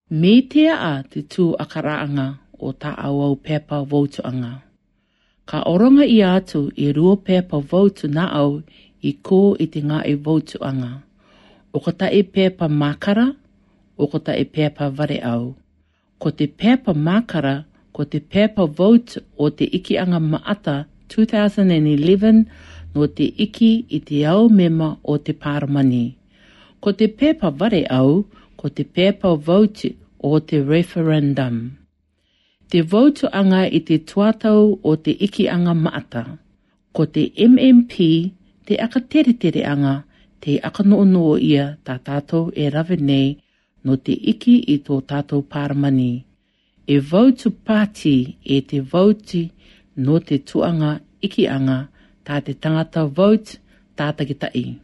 Me tea a te tū akaraanga o ta au pepa voutuanga. Ka oronga I atu I rua pepa voutu na au I ko I te ngā e voutuanga. O ka tae pepa makara, o ka tae pepa vare au. Ko te pepa makara, ko te pepa vote o te ikianga maata 2011 no te iki I te au mema o te paramani. Ko te pepa vare au, ko te pepa vote o te referendum. Te votuanga I te tuatau o te ikianga maata. Ko te MMP, te aka tere anga, te aka noo ia tā tātou e rawe nei no te iki I tō tātou paramani. E votu party e te voti no te tuanga ikianga tā te tangata vote tātakitai.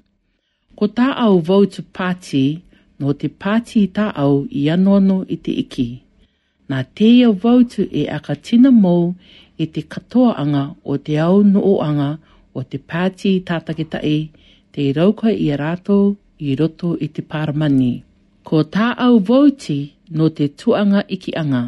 Ko tā au votu party no te party tā au I anono I te iki. Nā teia votu e aka tina mou I te katoaanga o te au nooanga o te party tātakitai te rauka I rato I roto I te paramani. Ko tā au voti no te tuanga ikianga.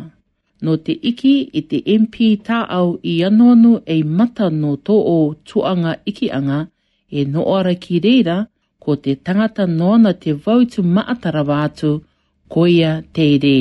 No te iki I te MP tā au I anonu e mata no tō o tuanga ikianga e noora ki reira ko te tangata nona te vautu maatara wātu ko ia te re.